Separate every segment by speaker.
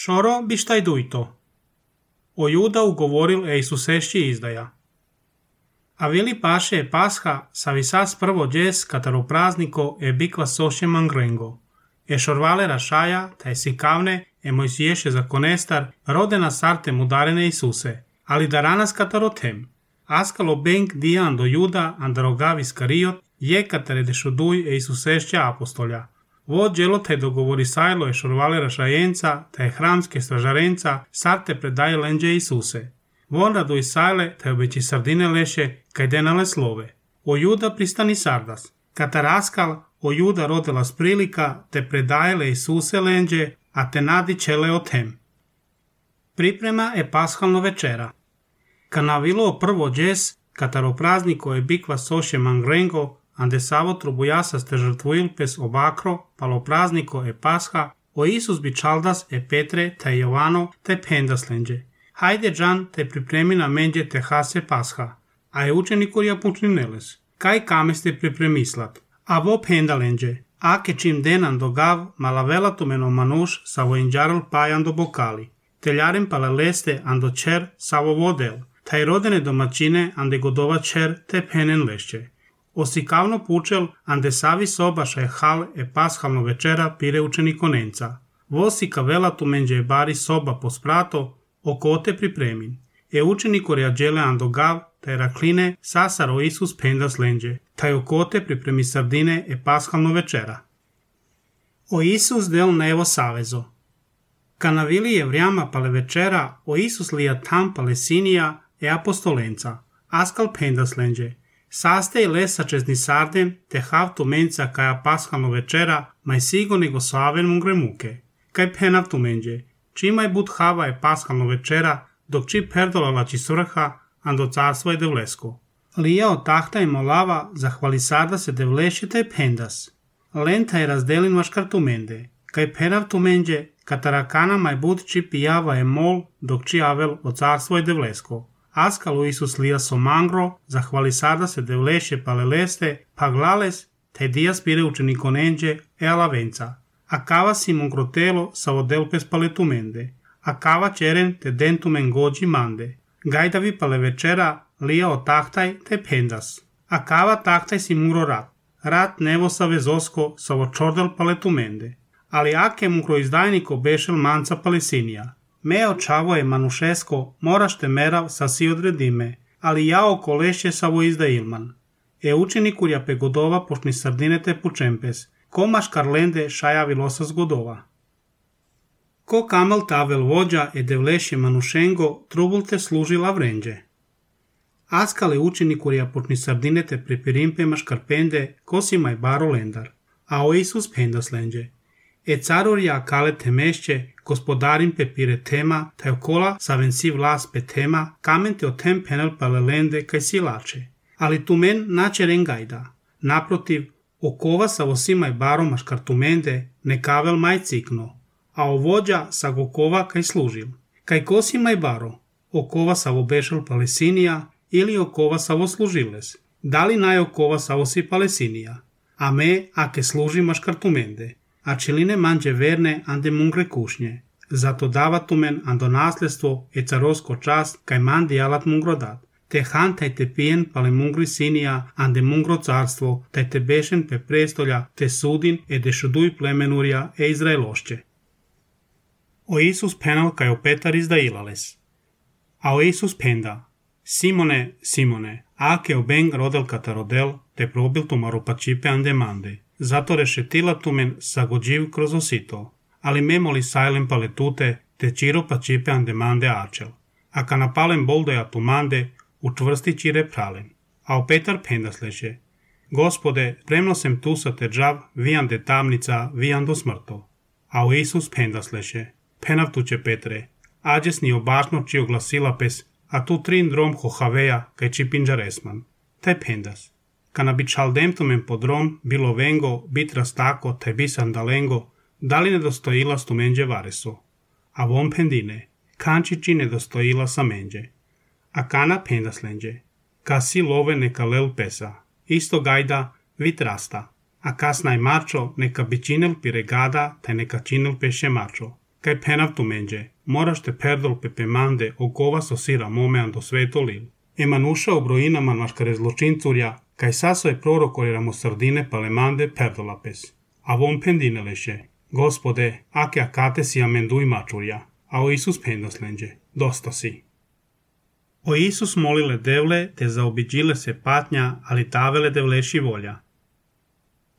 Speaker 1: Šoro bištaj dujto. O Juda ugovoril Ejsusešći izdaja. A vili paše je Pasha sa visas prvo džes kataro prazniko e bikva soše mangrengo. E šorvale rašaja, taj si kavne, e Mojsiješe zakonestar, rodena sartem udarene Isuse, ali daranas kataro tem. Askalo benk dijan do Juda andarogavis kariot, je katare dešuduj e Isusešća apostolja. Vod djelo taj dogovori sajlo e šorvale rašajenca, taj hramske stražarenca, sarte predaje lenđe Isuse. Von radu i sajle, taj obeći sardine leše, kaj denale slove. O Juda pristani sardas. Kataraskal, o Juda rodila sprilika, te predajele Isuse lenđe, a te nadi čele o tem. Priprema je pashalno večera. Kanavilo prvo džes, kataro prazniko je bikva soše mangrengo, ande savo trubujasa ste žrtvuil pes obakro, palo prazniko je pasha, o Isus bi čaldas e Petre, te Jovano, te pendas lenđe. Hajde džan te pripremi na menđe te hase pasha, a je učenikurja pučnineles. Kaj kame ste pripremislat? A vo penda lenđe. Ake čim denan do gav, malavela tu meno manuš, savo inđaral pajan do bokali. Teljarem paleleste ando čer, savo vodel. Taj rodene domaćine ande godova čer, te penen lešće. Osikavno pučel, ande savi sobaša je hal e pashalno večera pire učenikonenca. Vosika vela tu menđe je bari soba po sprato, oko te pripremin. E učeniku reađele ando gav, taj rakline, sasaro Isus pendas lenđe. Taj oko te pripremi sardine e pashalno večera. O Isus del nevo savezo. Kanavili je vrijama pale večera, o Isus lija tam palesinija e apostolenca. Askal pendas lenđe. Saste i lesa čezni sardem, te havtu menca kaja pashalno večera, maj sigo nego slaven mungremuke. Kaj penav tu menđe. Čimaj bud hava je pashalno večera, dok či perdolala či svrha, ando carstvo je devlesko. Lija od tahta i molava, zahvali sarda se devleše te pendas. Lenta je razdelin vaškar tu mende. Kaj penav tu menđe, katarakana maj bud či pijava je mol, dok či avel od carstvo je devlesko. Askalu Isus lija so mangro, zahvali sarda se devleše paleleste, pa glales, te dijas pire učenikonenđe e alavenca. A kava si mungrotelo sa odelpes paletumende. A kava čeren te dentumen gođi mande. Gajdavi pale večera lija o tahtaj te pendas. A kava tahtaj si mungro rat. Rat nevo sa vezosko sa očordel paletumende. Ali ake mungro izdajniko bešel manca palesinija. Meo čavo je manušesko, moraš te merav sa si odredime, ali jao kolešće savo izda ilman. E učenikurja pe godova pošni sardine te pučempes, komaš karlende šajavi losas godova. Ko kamal tavel vođa e devlešje manušengo, trubul te služila vrenđe. Askale učenikurja pošni sardine te pripirimpe maškarpende, kosimaj baro lendar, a o Isus pendas lenđe. E carurja kale te mešće, gospodarin pe pire tema, taj okola saven si vlas pe tema, kamen te o tem penal palelende kaj si lače. Ali tu men nače rengajda. Naprotiv, okova sa osimaj baro maškartumende, ne kavel maj cikno, a ovođa sa gokova kaj služil. Kaj kosimaj baro, okova sa obešal palesinija ili okova sa služiles. Da li naj okova sa osi palesinija? A me, ake služi maškartumende. A čiline manđe verne ande mungre kušnje. Zato davatumen ando nasljedstvo e carosko čast kaj mandi alat mungrodat. Te han taj te pijen pale mungri sinija ande mungro carstvo, taj te bešen pe prestolja, te sudin e dešuduj plemenurja e Izraelošće. O Isus penal kaj o Petar izdajilales. A o Isus penda. Simone, Simone, ake obeng rodel katarodel, te probil tu marupačipe ande mande. Zato rešetila tumen sagođiv kroz osito, ali memoli sajlem paletute, te čiro pa čipe ande mande ačel. A kanapalem boldoja tumande, učvrsti čire pralen. A o Petar pendas leše. Gospode, spremno sem tu sa te džav, vijande tamnica, vijando smrto. A o Isus pendas leše. Penav tuče Petre, ađes ni obašno či oglasila pes, a tu trin drom hohaveja, kaj či pinđaresman. Taj pendas. Kana bi čaldemtumen podrom bilo vengo, bit rastako, te bisan dalengo, da li nedostojila stu menđe vareso. A von pendine, kančići nedostojila sa menđe. A kana pendas lenđe. Ka si love neka lel pesa. Isto gajda vit rasta. A kasnaj mačo neka bi činel piregada, te neka činel peše mačo. kaj penavtu menje, moraš te perdol pepe mande o kova sosira momean do svetolil. Emanusha obroinaman maškare zločincuria, kaj saso je prorokoriramo sardine palemande perdolapes. A von pendineleše, Gospode, ake akate si amendui mačurja, a o Isus pendaslenđe, dosta si. O Isus molile devle, te zaobiđile se patnja, ali tavele devleši volja.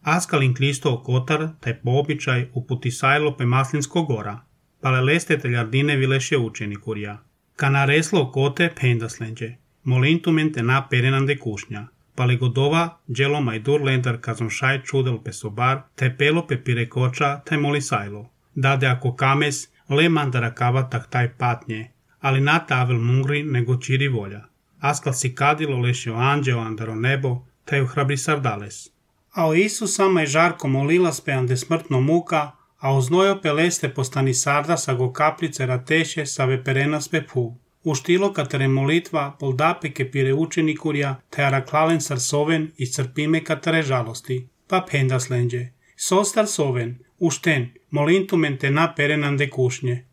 Speaker 1: Askalin Kristo okotar, taj po običaj uputisajlo pe Maslinsko gora, pale leste teljardine vileše učenikurja. Kana reslo okote pendaslenđe, molintumen te na perenande kušnja, pale godova, dželo majdur lendar kazom šaj čudel pe sobar, te pelo pe pirekoča, te molisajlo. Dade ako kames, le mandara kavatak taj patnje, ali na tavel mungri nego čiri volja. Askal si kadilo lešio anđeo andaro nebo, te ju hrabri sardales. A o Isus sama je žarko molila speande smrtno muka, a oznojo peleste postani sarda sa go kaplice rateše sa veperenas pe pu. Uštilo katere molitva poldape ke pire učenikurja, te araklalen sarsoven i crpime katere žalosti, pa pendaslenđe. Sostar soven, ušten, molintumen te na perenande kušnje.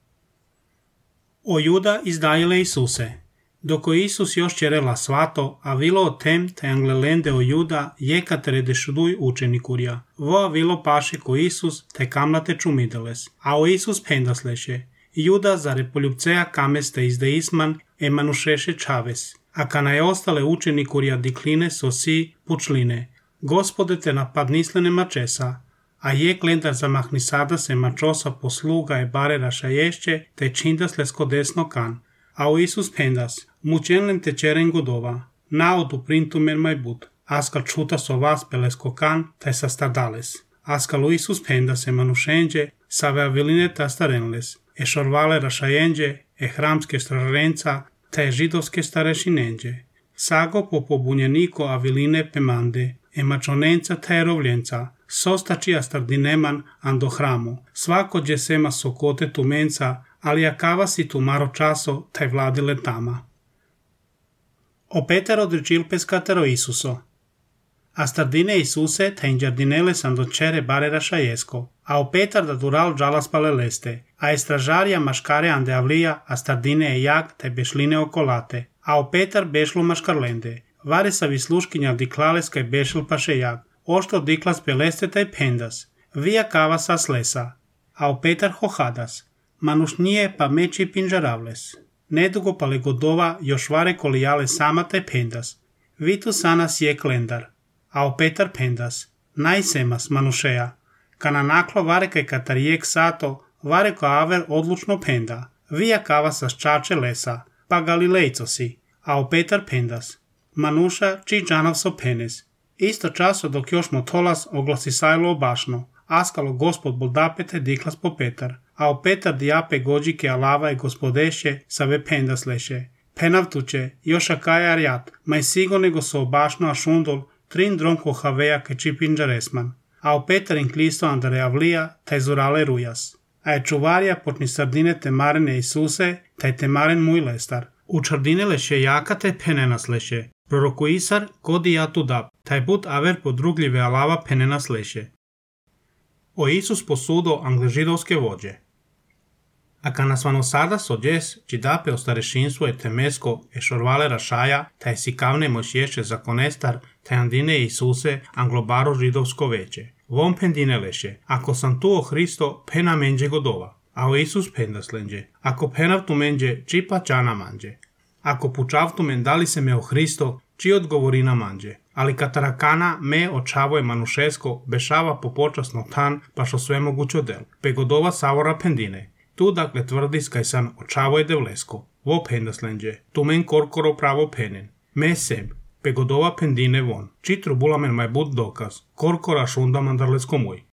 Speaker 1: O Juda izdajile Isuse. Doko Isus još čerela svato, a vilo o tem te anglelende o Juda jekatere dešuduj učenikurja. Voa vilo paše ko Isus te kamlate čumideles, a o Isus pendasleše. Juda za repoljubceja kameste izdeisman emanušeše čaves, a kana je ostale učenikurja dikline sosi pučline. Gospode te napadnislene mačesa, a je klendar zamahni sada se mačosa posluga e bare rašaješće te čindas lesko desno kan. A o Isus pendas, mučenlen te čeren godova, naodu printumen majbut, askal čuta so vas pelesko kan te sa stardales. Askal o Isus pendas emanušenđe sa veaviline ta starenles, e šorvale rašajenđe, e hramske strarenca, te židovske starešinenđe. Sago po pobunjeniko aviline pemande, e mačonenca te rovljenca, sostačija stardineman ando hramu, svako dje sema sokote tumenca, ali akava si tu maro časo taj vladile tama. O Petar odričil pescatero Isuso. A stardine Isuse ta inđardinele sam do čere bare rašajesko, a o Petar da dural džalas paleleste, a estražarja maškare ande avlija, a stardine e jak taj bešline okolate, a o Petar bešlo maškarlende, vare sa visluškinja diklales kaj bešil paše jak, ošto diklas peleste taj pendas, vija kava sa slesa, a o Petar hohadas, manuš nije pa meči pinžaravles. Nedugo pale godova još vare kolijale sama te pendas. Vitu sanas je klendar, a o Petar pendas. Najsemas manušeja. Kana naklo vare kaj katarijek sato, vare ko aver odlučno penda. Vija kava sa ščače lesa, pa galilejco si, a o Petar pendas. Manuša či džanav so penes. Isto časo dok još motolas oglasi sajlo obašno, askalo gospod boldapete diklas po Petar. A o Petar diape gođike alava i gospodeše sa ve pendasleše. Penavtuče, još akaja arjat, maj sigo nego so obašno a šundol, trin dronko haveja ke čipinđaresman. A o Petar in klisto andare avlija, taj zurale rujas. A je čuvarja potni sardine temarene Isuse, taj temaren muj lestar. U čardine leše jaka te penenas leše. Proroku Isar, kodi ja tu dab, taj but aver podrugljive alava penenas leše. O Isus posudo angležidovske vođe. A kana svanosada sođes, či dape o starešinstvo e temesko e šorvale rašaja, taj si kavne mošješe zakonestar, taj andine Isuse anglobaro židovsko veće. Vom pendine leše, ako sam tu o Hristo, pena menđe godova, a o Isus pendaslenđe, ako penavtu menđe, či pa čana manđe. Ako pučavtu men dali se me o Hristo, či odgovorina manđe. Ali katarakana me očavoje manušesko, bešava po počasno tan, paš o sve mogućo del. Pe godova savora pendine. Tu dakle tvrdi skaj san očavoje devlesko. Vo pendaslenđe, tu men korkoro pravo penen. Me seb, pe godova pendine von. Či trubula men maj bud dokaz. Korkora šunda mandarlesko muj.